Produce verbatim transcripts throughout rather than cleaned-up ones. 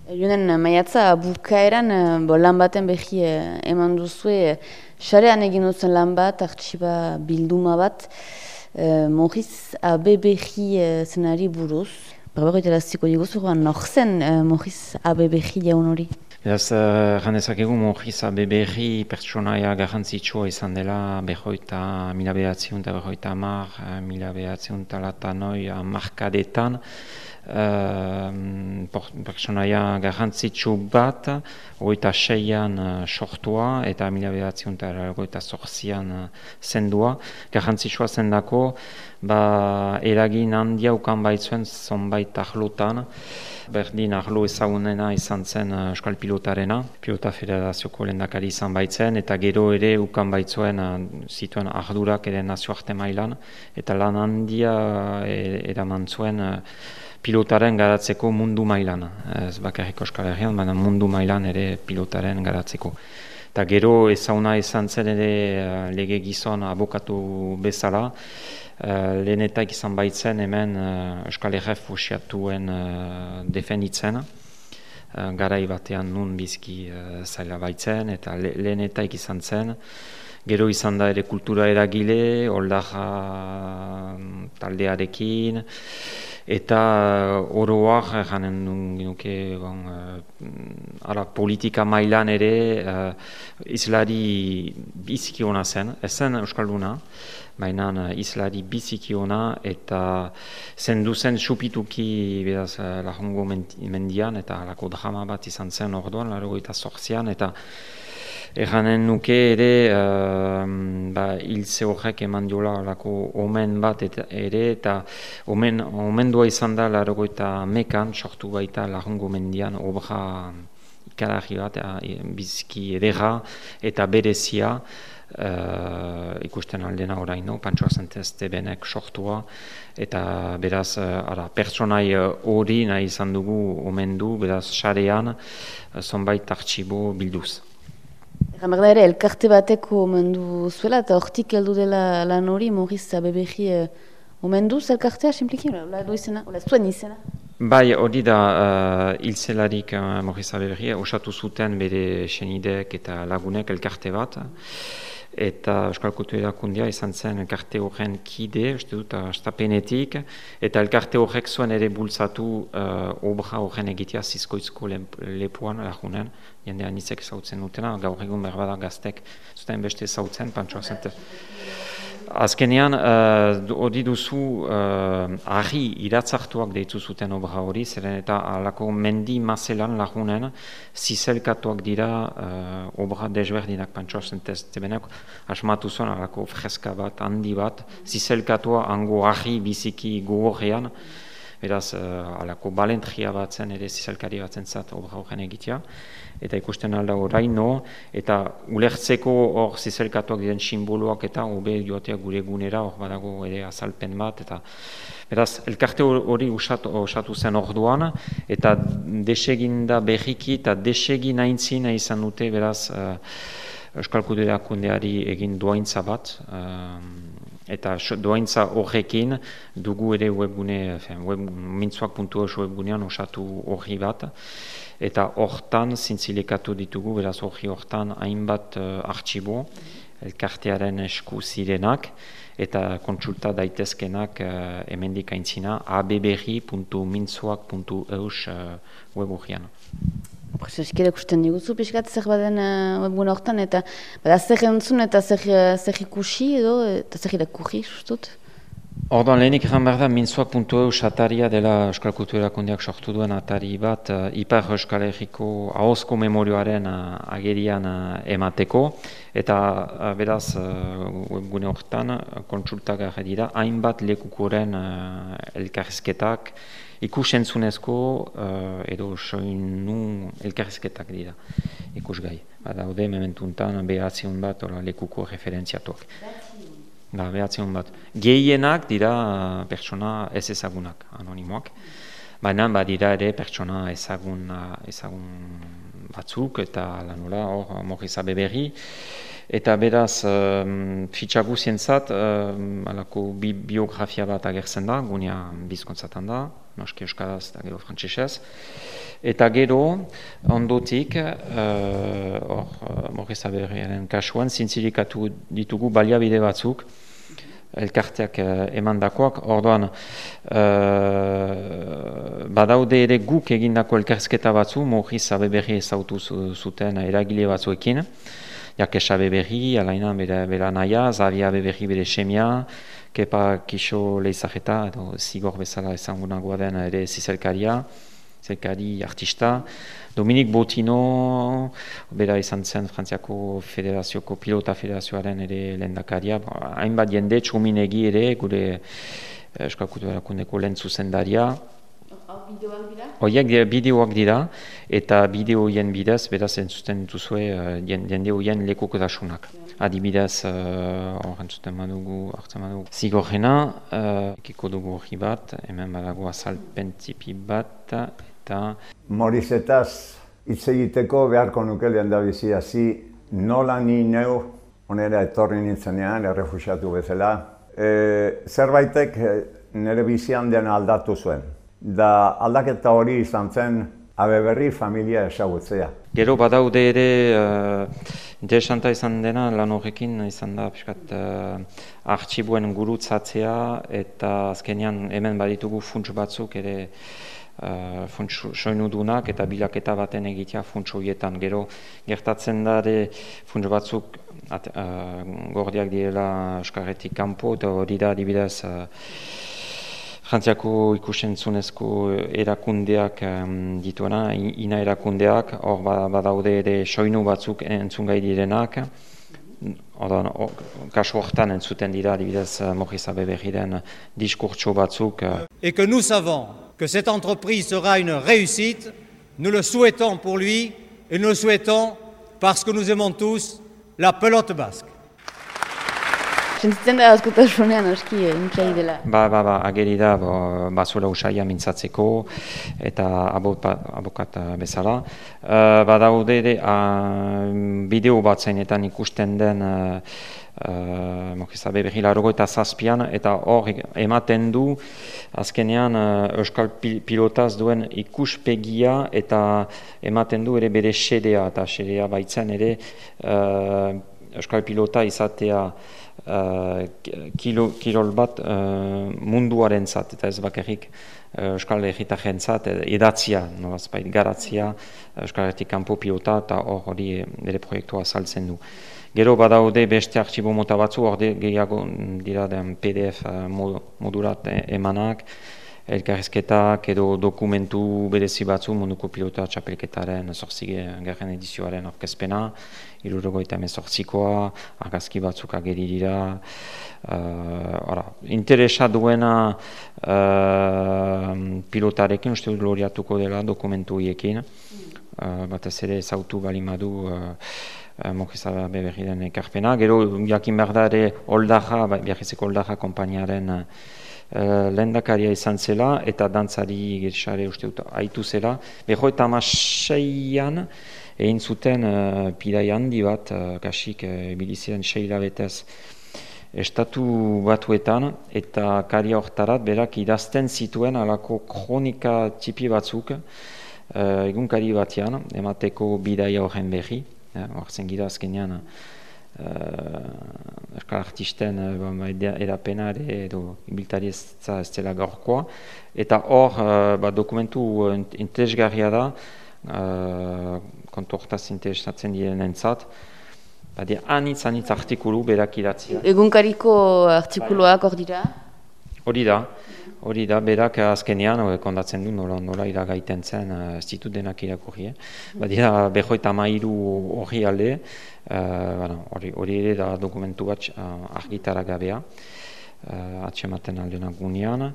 Jonen maiatza bukaeran bo, lan baten behi eh, eman duzue, sarean egin dutzen lan bat, artxiba bilduma bat, eh, Maurice Abebehi eh, zenari buruz. Berbegoita laziko diguzu, nor zen eh, Maurice Abebehi jaun hori? Beraz, janezakegu uh, Maurice Abebehi pertsonaia garrantzitsua izan dela behoita, mila behatziun eta behoita amar, mila behatziun talatanoi amarkadetan. Uh, pertsonaia garrantzitsu bat, hogeita seian uh, sortua eta mila behatziun eta hogeita zortzian uh, zendua. Garrantzitsua zendako, ba, eragin handia ukan baitzuen zonbait ahlotan. Berdin ahlo ezagunena izan zen uh, Euskal Pilotarena, Pilota Federazioko lehendakari izan baitzen, eta gero ere ukan baitzuen uh, zituen ardurak ere nazioarte mailan, eta lan handia uh, eraman zuen uh, pilotaren garatzeko mundu mailan. Ez bakarrik Euskal Herrian, baina mundu mailan ere pilotaren garatzeko. Eta gero ezaguna izan zen ere uh, lege gizon abokatu bezala, Uh, lehenetak izan baitzen hemen uh, Euskal Herri fusiatuen uh, defenditzen, uh, garai batean nun bizki uh, zaila baitzen, eta le lehenetak izan zen. Gero izan da ere kultura eragile, Oldarra taldearekin, eta uh, oroak janen nuke bon, uh, ara, politika mailan ere uh, islari biziki ona zen, ez zen Euskalduna, baina uh, islari biziki ona eta zendu zen supituki beraz uh, Lahongo mendian eta halako drama bat izan zen orduan, laurogeita zortzian, eta erranen nuke ere uh, ba, hiltze horrek eman diola halako omen bat eta, ere, eta omen, omendua izan da laurogeita hamekan sortu baita Lahongo mendian obra ikaragarri bat, uh, biziki ederra eta berezia. Uh, ikusten aldena oraino, Pantsoa Santeste benek sortua, eta beraz, uh, ara, pertsonai hori uh, nahi izan dugu omendu, beraz, sarean, uh, zonbait artxibo bilduz. Egan behar da ere, elkarte bateko omendu zuela, eta hortik heldu dela lan hori, Maurice Abebehi uh, omenduz elkartea, simpliki, ola edo izena, ola zuen izena? Bai, hori da, uh, hilzelarik uh, Maurice Abebehi osatu zuten bere senidek eta lagunek elkarte bat, eta Euskal Kultura Erakundia izan zen elkarte horren kide, uste dut, astapenetik, eta elkarte horrek zuen ere bultzatu uh, obra horren egitea Zizkoitzko lepoan, lagunen, jende anitzek zautzen dutena, gaur egun berbada gaztek zuten beste zautzen, Pantsoa Santeste. Azkenean, hori uh, duzu uh, argi iratzartuak deitu zuten obra hori, zeren eta alako mendi mazelan lagunen zizelkatuak dira uh, obra desberdinak Pantsoa Santeste benak, asmatu zuen alako freska bat, handi bat, zizelkatua hango argi biziki gogorrean, beraz, uh, alako balentria bat zen, ere zizelkari bat zentzat obra horren egitea, eta ikusten alda oraino, eta ulertzeko hor zizelkatuak diren simboloak eta hobe joatea gure gunera, hor badago ere azalpen bat, eta beraz, elkarte hori osatu, osatu zen orduan, eta deseginda berriki eta desegin aintzina izan dute, beraz, uh, Euskal Kultura Erakundeari egin doaintza bat, uh, eta doaintza horrekin dugu ere webgune, web, mintzoak puntu eus webgunean osatu horri bat, eta hortan zintzilekatu ditugu, beraz horri hortan hainbat uh, artxibo, elkartearen esku zirenak, eta kontsulta daitezkenak uh, hemendik aintzina abeberri puntu mintzoak puntu eus uh, web horrian. Eskera ikusten diguzu, pixkat zer baden uh, webgune hortan, eta bada zer entzun eta zer, zer ikusi edo, eta zer irakurri, justut? Orduan, lehenik egan behar da, mintzoak puntu eus ataria dela Euskal Kultura Erakundeak sortu duen atari bat, uh, Ipar Euskal Herriko ahozko memorioaren uh, agerian uh, emateko, eta uh, beraz, uh, webgune hortan, uh, kontsultagarri dira, hainbat lekukoren uh, elkarrizketak, ikusentzunezko uh, edo soinu elkarrizketak dira, ikusgai. Badaude, mementuntan, behatziun bat, ola, lekuko referentziatuak. Da, behatziun bat. Gehienak dira pertsona ez ezagunak, anonimoak. Baina badira ere pertsona ezagun, ezagun batzuk, eta lanola hor Maurice Abebehi. Eta beraz, um, fitxagu zientzat, um, alako bi biografia bat agertzen da, gunea bizkontzatan da, noski euskaraz eta gero frantsesez. Eta gero, ondotik, hor, uh, Maurice Abeberriaren kasuan, zintzirikatu ditugu baliabide batzuk, elkarteak uh, emandakoak, orduan, uh, badaude ere guk egindako elkarrizketa batzu, Maurice Abeberri ezautu zuten eragile batzuekin, Jakes Abeberri, alaina bera, bera naia, Xavier Abeberri bere semia, Kepa Kixo Leizageta, edo zigor bezala esangunagoa den ere zizelkaria, zizelkari artista, Dominik Botino, bera izan zen Frantziako Federazioko Pilota Federazioaren ere lehendakaria, hainbat jende txominegi ere, gure Euskal Kultura Erakundeko lehen zuzendaria. Bideoak dira? Horiek bideoak dira, eta bideoien bidez, beraz entzuten dituzue jende horien lekukotasunak. Adibidez, horren zuten badugu, hartzen badugu, zigorrena, ekiko dugu hori bat, hemen badago azalpen tipi bat, eta... Maurizetaz hitz egiteko beharko nuke lehendabizi hasi nola ni neu onera etorri nintzenean, errefuxiatu bezala. Zerbaitek nire bizian dena aldatu zuen. Da aldaketa hori izan zen Abeberri familia ezagutzea. Gero badaude ere, uh, interesanta izan dena lan horrekin izan da piskat uh, artxibuen gurutzatzea eta azkenean hemen baditugu funts batzuk ere uh, funts soinudunak eta bilaketa baten egitea funts horietan. Gero gertatzen da ere funts batzuk at, uh, gordiak direla Euskarretik kanpo eta hori da adibidez uh, Frantziako ikusentzunezko erakundeak um, dituena, ina erakundeak, hor badaude ere soinu batzuk entzungai direnak, Odan, o, kasu hortan entzuten dira, adibidez Maurice Abeberriren diskurtso batzuk. Et que nous savons que cette entreprise sera une réussite, nous le souhaitons pour lui et nous le souhaitons parce que nous aimons tous la pelote basque. Sentitzen da askotasunean aski intzai dela. Ba, ba, ba, ageri da, bazuela usaia mintzatzeko eta abokat bezala. Uh, badaude ere, uh, bideo bat zainetan ikusten den uh, uh, Maurice Abeberri laurogeita zazpian, eta hor ematen du azkenean uh, Euskal Pilotaz duen ikuspegia eta ematen du ere bere xedea, eta xedea baitzen ere uh, Euskal Pilota izatea Uh, kilo, kirol bat uh, munduaren zat, eta ez bakarrik uh, Euskal Herritaren zat, edatzia, nolazpait garatzia, Euskal Herritik kanpo pilota, eta hor hori ere proiektua saltzen du. Gero badaude beste artxibo mota batzu, hor gehiago dira den P D F modurat emanak, elkarrizketak edo dokumentu berezi batzu munduko pilota txapelketaren zortzigarren edizioaren aurkezpena, hirurogeita hemezortzikoa, argazki batzuk ageri dira. Uh, interesa duena uh, pilotarekin uste dut loriatuko dela dokumentu hiekin. Uh, batez ere ezautu balimadu uh, uh, Maurice Abeberriren ekarpena. Gero jakin behar da ere Oldaja, Biarritzeko Oldaja konpainiaren uh, lehendakaria izan zela eta dantzari gersare uste dut aitu zela. Beho eta amaseian egin zuten uh, pidai handi bat, uh, kasik uh, biliziren seila betez estatu batuetan, eta karia hortarat berak idazten zituen alako kronika txipi batzuk uh, egunkari batean, emateko bidaia horren berri, horzen gira azkenean Uh, Euskal artisten uh, erapenare edo ibiltari ez dela gaurkoa, eta hor uh, ba, dokumentu uh, interesgarria da, uh, kontu hortaz interesatzen direnentzat, badi anitz anitz artikulu berak idatzia. Egunkariko artikuluak hor dira? Hori da, hori da, berak azkenean kondatzen du nola, nola iragaiten zen, ez uh, ditut denak irakurri, eh? Badira behoita mairu hori alde, hori uh, ere da dokumentu bat uh, argitara gabea, uh, atxematen aldenak gunean.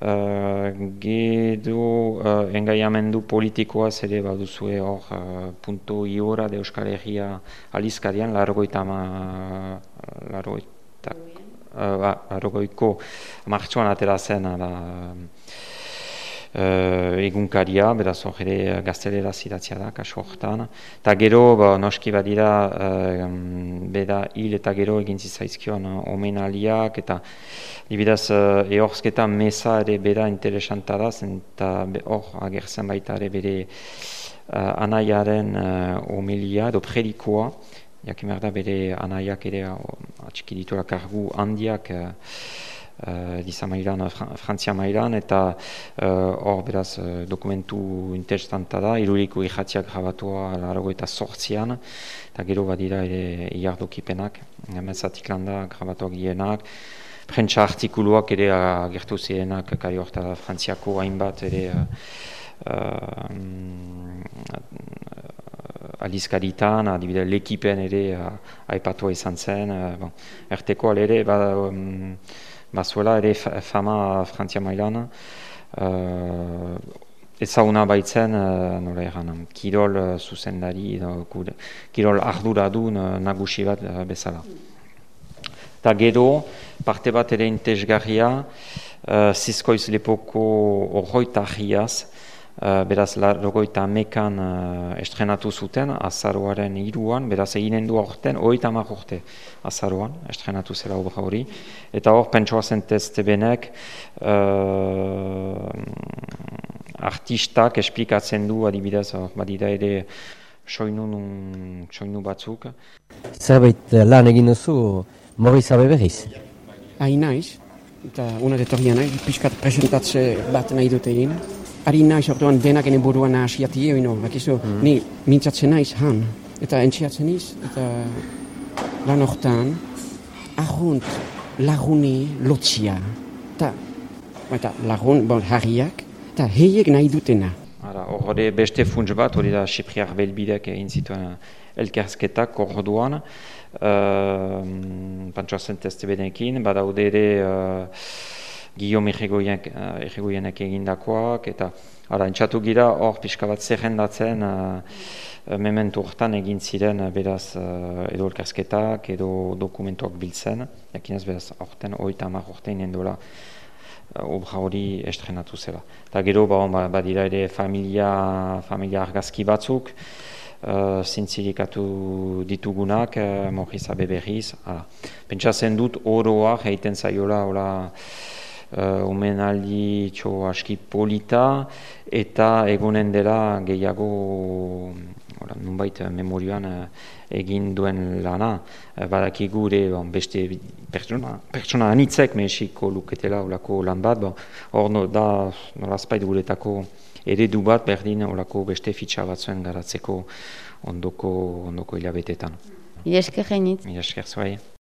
Uh, Gedo uh, engaiamendu politikoaz ere baduzue hor uh, punto iora de Euskal Herria alizkarian, largoita ma... largoita... Uh, ba, largoiko martxoan atera zen, ala, uh, egunkaria, beraz hor ere gaztelera zidatzia da, kasu horretan. Eta gero, ba, noski badira, uh, beda hil eta gero egin zizaizkion uh, omenaliak, eta dibidaz uh, ehorzketa meza ere bera interesanta da, eta hor agertzen baita ere bere uh, anaiaren uh, omelia edo predikoa, jakin behar da bere anaiak ere atxiki ditura kargu handiak uh, uh, diza mailan, Fran Frantzia mailan, eta hor uh, beraz uh, dokumentu interesanta da, iruriko irratiak grabatua larago eta sortzian, eta gero badira ere iardokipenak, mezatik landa grabatuak gienak, prentsa artikuluak ere agertu zirenak, kari horta Frantziako hainbat ere uh, uh, aldizkaritan, adibidez L'Ekipen ere uh, aipatua izan zen, uh, bon, erteko ere ba, um, bazuela ere fama Frantzia mailan, uh, ezaguna baitzen, uh, nola eran, kirol uh, zuzendari, no, kirol arduradun uh, nagusi bat uh, bezala. Eta gero, parte bat ere intezgarria, uh, Zizkoiz lepoko orroita ahiaz, Uh, beraz, larogoita amekan uh, estrenatu zuten, azaroaren iruan, beraz, eginen du aurten, oita amak urte azaroan, estrenatu zela obra hori. Eta hor, pentsoa zentezte benek, uh, artistak esplikatzen du, adibidez, hor, badida ere, soinu, soinu batzuk. Zerbait lan egin duzu, Maurice Abe berriz? Hain naiz, eta una detorria nahi, pixkat presentatze bat nahi dute egin. Ari naiz orduan denak ene buruan nahasiati eino, bakizu, mm. ni mintzatzen naiz han, eta entziatzen niz, eta lan hortan, ahunt laguni lotzia, eta, eta lagun, bon, harriak, eta heiek nahi dutena. Hore beste funts bat, hori da Sipriar Belbidek egin zituen elkersketak orduan, uh, pantsoa zentezte benekin, badaude ere uh, Guillaume Erregoienek egindakoak, eta ara, entxatu gira hor pixka bat zerrendatzen uh, mementu hortan egin ziren beraz uh, edo elkersketak edo dokumentuak biltzen, jakinez beraz horten oita hamar horten endola uh, obra hori estrenatu zela. Eta gero ba, badira ere familia, familia argazki batzuk, uh, zintzirikatu ditugunak, uh, Maurice Abe berriz. Pentsatzen dut oroa egiten zaiola hola, Uh, omenaldi txo aski polita, eta egonen dela gehiago ora, nunbait memorioan uh, egin duen lana. Uh, badakigu ere bon, beste pertsona, pertsona anitzek mehesiko luketela olako lan bat, hor bon, no, da nolazpait guretako eredu bat berdin olako beste fitxa batzuen garatzeko ondoko, ondoko hilabetetan. Mila esker gainitz. Mila esker zuai.